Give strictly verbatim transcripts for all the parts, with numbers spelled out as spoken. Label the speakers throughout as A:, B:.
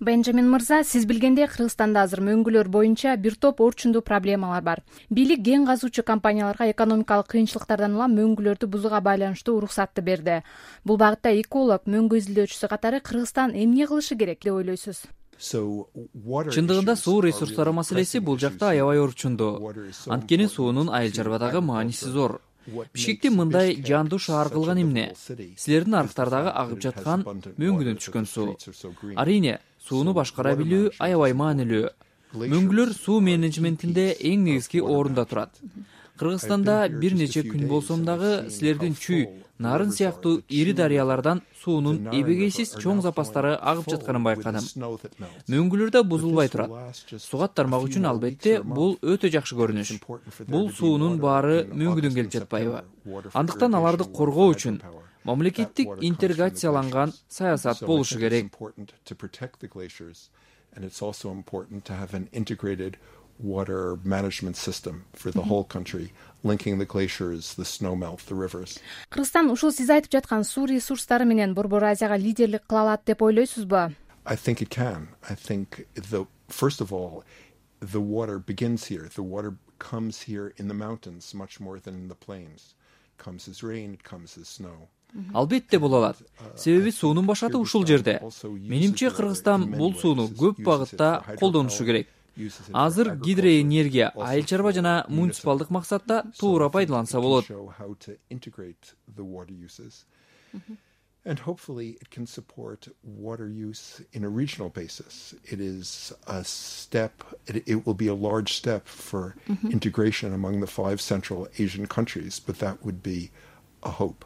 A: Бенджамин мырза, сиз билгендей Кыргызстанда азыр мөңгүлөр боюнча бир топ орчундуу проблемалар бар. Бийлик кен казуучу компанияларга экономикалык кыйынчылыктардан улам мөңгүлөрдү бузууга байланыштуу уруксатты берди. Бул багытта эколог, мөңгү изилдөөчүсү катары Кыргызстан эмне кылышы керек деп ойлойсуз?
B: Чындыгында суу ресурстары маселеси бул жакта аябай орчундуу. Анткени суунун Айыл чарбадагы мааниси зор. Бишкекти мындай жандуу шаар кылган эмне? Силердин арыктардагы агып жаткан мөңгүдөн түшкөн суу. Арийне, сууну башкара билүү аябай маанилүү. Мөңгүлөр суу менеджментинде эң негизги орунда турат. Кыргызстанда бир нече күн болсом дагы силердин Чүй, Нарын сыяктуу ири дарыялардан суунун эбегейсиз чоң запастары агып жатканын байкадым. Мөңгүлөр да бузулбай турат. Сугат тармак үчүн албетте бул өтө жакшы көрүнүш. Бул суунун баары мөңгүдөн келип жатпайбы? Андыктан аларды коргоо үчүн мамлекеттик интеграцияланган саясат болушу керек.
C: Water management system for the whole country, linking the glaciers, the snow melt, the rivers.
A: Кыргызстан ушул сиз айтып жаткан суу ресурстары менен Борбор Азияга лидерлик кыла алат деп ойлойсузбу?
C: I think it can. I think the first of all, the water begins here. The water comes here in the mountains much more than in the plains. It comes as rain, it comes as snow.
B: Албетте боло алат. Себеби суунун башаты ушул жерде. Менимче Кыргызстан бул сууну көп багытта колдонушу керек. Азыр гидроэнергия айыл чарба жана муниципалдык максатта туура пайдаланса болот.
C: And hopefully it can support water use in a regional basis. It is a step, it, it will be a large step for mm-hmm. integration among the five Central Asian countries, but that would be a hope.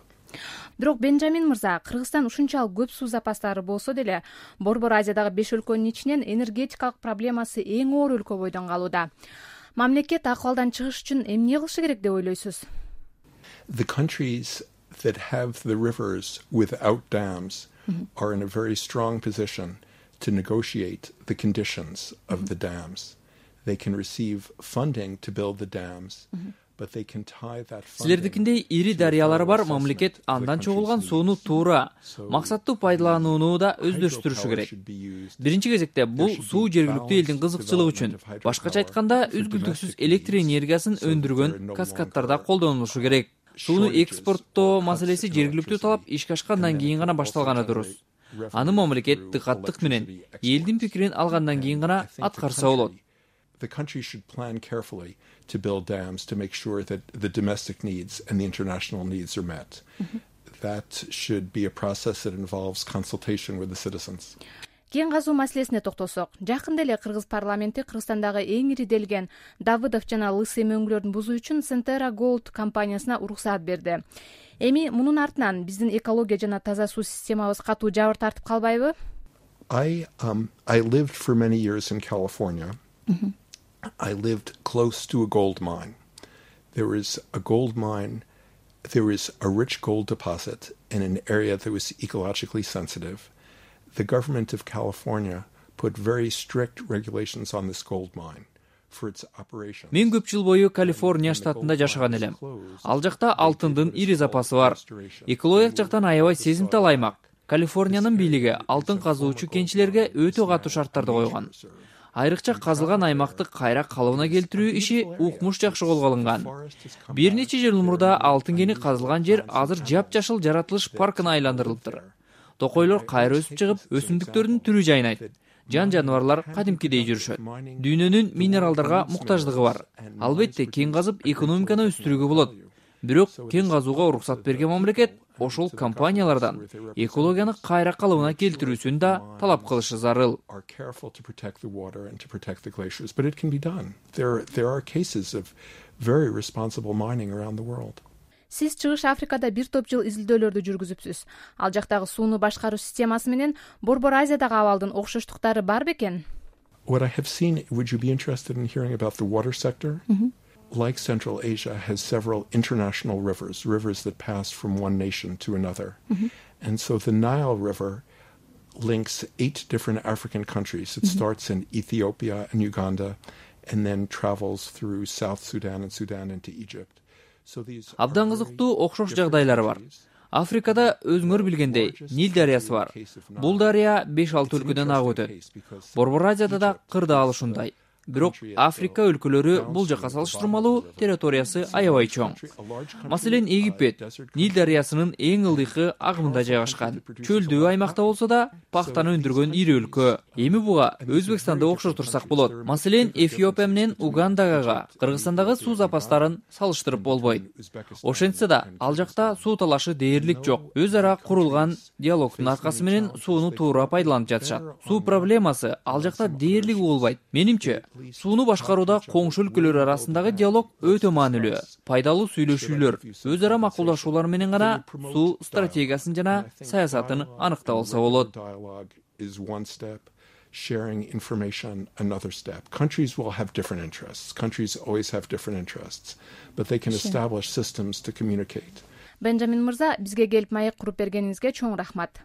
A: Бирок Бенджамин мырза, Кыргызстан ушунчалык көп суу запастары болсо деле, Борбор Азиядагы беш өлкөнүн ичинен энергетикалык проблемасы эң оор өлкө бойдон калууда. Мамлекет акыбалдан чыгыш үчүн эмне кылышы керек деп ойлойсуз?
C: The countries that have the rivers without dams mm-hmm. are in a very strong position to negotiate the conditions of mm-hmm. the dams. They can receive funding to build the dams. Mm-hmm.
B: Силердикиндей ири дарыялары бар мамлекет андан чогулган сууну туура, максаттуу пайдаланууну да өздөштүрүшү керек. Биринчи кезекте бул суу жергиликтүү элдин кызыкчылыгы үчүн, башкача айтканда үзгүлтүксүз электр энергиясын өндүргөн каскадтарда колдонулушу керек. Сууну экспорттоо маселеси жергиликтүү талап ишке ашкандан кийин гана башталганы дурус. Аны мамлекет дыкаттык менен элдин пикирин алгандан кийин гана аткарса болот.
C: The country should plan carefully to build dams to make sure that the domestic needs and the international needs are met. Mm-hmm. That should be a process that involves consultation with the citizens.
A: Кен казуу маселесине токтолсок, жакында эле Кыргыз парламенти Кыргызстандагы эң ири делген Давыдов жана Лысый мөңгүлөрдүн бузуу үчүн Centera Gold компаниясына уруксаат берди. Эми мунун артынан биздин экология жана таза суу системабыз катуу жабыр тартып калбайбы?
C: I um I lived for many years in California. Mm-hmm. I lived close to a gold mine. There was a gold mine, there was a rich gold deposit in an area that was ecologically sensitive. The government of California put very strict regulations on this gold mine for its operation.
B: Мен көп жыл бою Калифорния штатында жашаган элем. Ал жакта алтындын ири запасы бар. Экологиялык жактан аябай сезимтал аймак. Калифорниянын бийлиги алтын казуучу кенчилерге өтө катуу шарттарды койгон. Айрыкча казылган аймакты кайра калыбына келтирүү иши укмуш жакшы колго алынган. Бир нече жыл мурда алтын кени казылган жер азыр жапжашыл жаратылыш паркына айландырылыптыр. Токойлор кайра өсүп чыгып, өсүмдүктөрдүн түрү жайнайт. Жан жаныбарлар кадимкидей жүрүшөт. Дүйнөнүн минералдарга муктаждыгы бар. Албетте кен казып экономиканы өстүрүүгө болот. Бирок кен казууга уруксат берген мамлекет ошол компаниялардан экологияны кайра калыбына келтирүүсүн да талап кылышы зарыл.
C: But it can be done. There there are cases of very responsible mining around the world.
A: Сиз Чыгыш Африкада бир топ жыл изилдөөлөрдү жүргүзүпсүз. Ал жактагы сууну башкаруу системасы менен Борбор Азиядагы абалдын окшоштуктары бар бекен?
C: What I have seen, would you be interested in hearing about the water sector? Mm-hmm. Like Central Asia, has several international rivers, rivers that pass from one nation to another. Mm-hmm. And so the Nile River links eight different African countries. It mm-hmm. starts in Ethiopia and Uganda and then travels through South Sudan and Sudan into Egypt. So these
B: Абдан кызыктуу окшош жагдайлар бар. Африкада өзүңөр билгендей Нил дарыясы бар. Бул дарыя беш алты өлкөдөн агып өтөт. Борбор Азияда да кырдаал ушундай. Бирок Африка өлкөлөрү бул жакка салыштырмалуу территориясы аябай чоң. Маселен, Египет Нил дарыясынын эң ылдыйкы агымында жайгашкан. Чөлдүү аймакта болсо да пахтаны өндүргөн ири өлкө. Эми буга Өзбекстанды окшотурсак болот. Маселен, Эфиопия менен Угандага Кыргызстандагы суу запастарын салыштырып болбойт. Ошентсе да, ал жакта суу талашы дээрлик жок. Өз ара курулган диалогдун аркасы менен сууну туура пайдаланып жатышат. Суу проблемасы ал жакта дээрлик болбойт. Менимче, сууну башкарууда коңшу өлкөлөр арасындагы диалог өтө маанилүү. Пайдалуу сүйлөшүүлөр, өз ара макулдашуулар менен гана суу стратегиясын жана саясатын аныктап алса болот.
C: Sharing information, another step. Countries will have different interests. Countries always have different interests, but they can establish systems to communicate.
A: Бенджамин мырза, бизге келип маек куруп бергениңизге чоң рахмат.